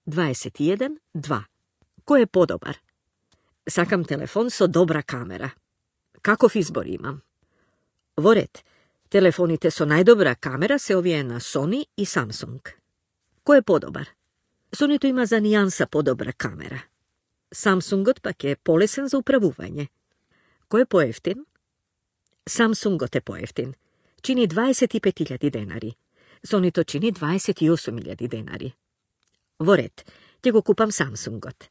21.2. Кој е подобар? Сакам телефон со добра камера. Каков избор имам? Во ред, телефоните со најдобра камера се овие на Sony и Samsung. Кој е подобар? Сонито има за нијанса подобра камера. Самсунгот пак е полесен за управување. Кој е поевтин? Самсунгот е поевтин. Чини 25.000 денари. Сонито чини 28.000 денари. Во ред, ќе го купам Самсунгот.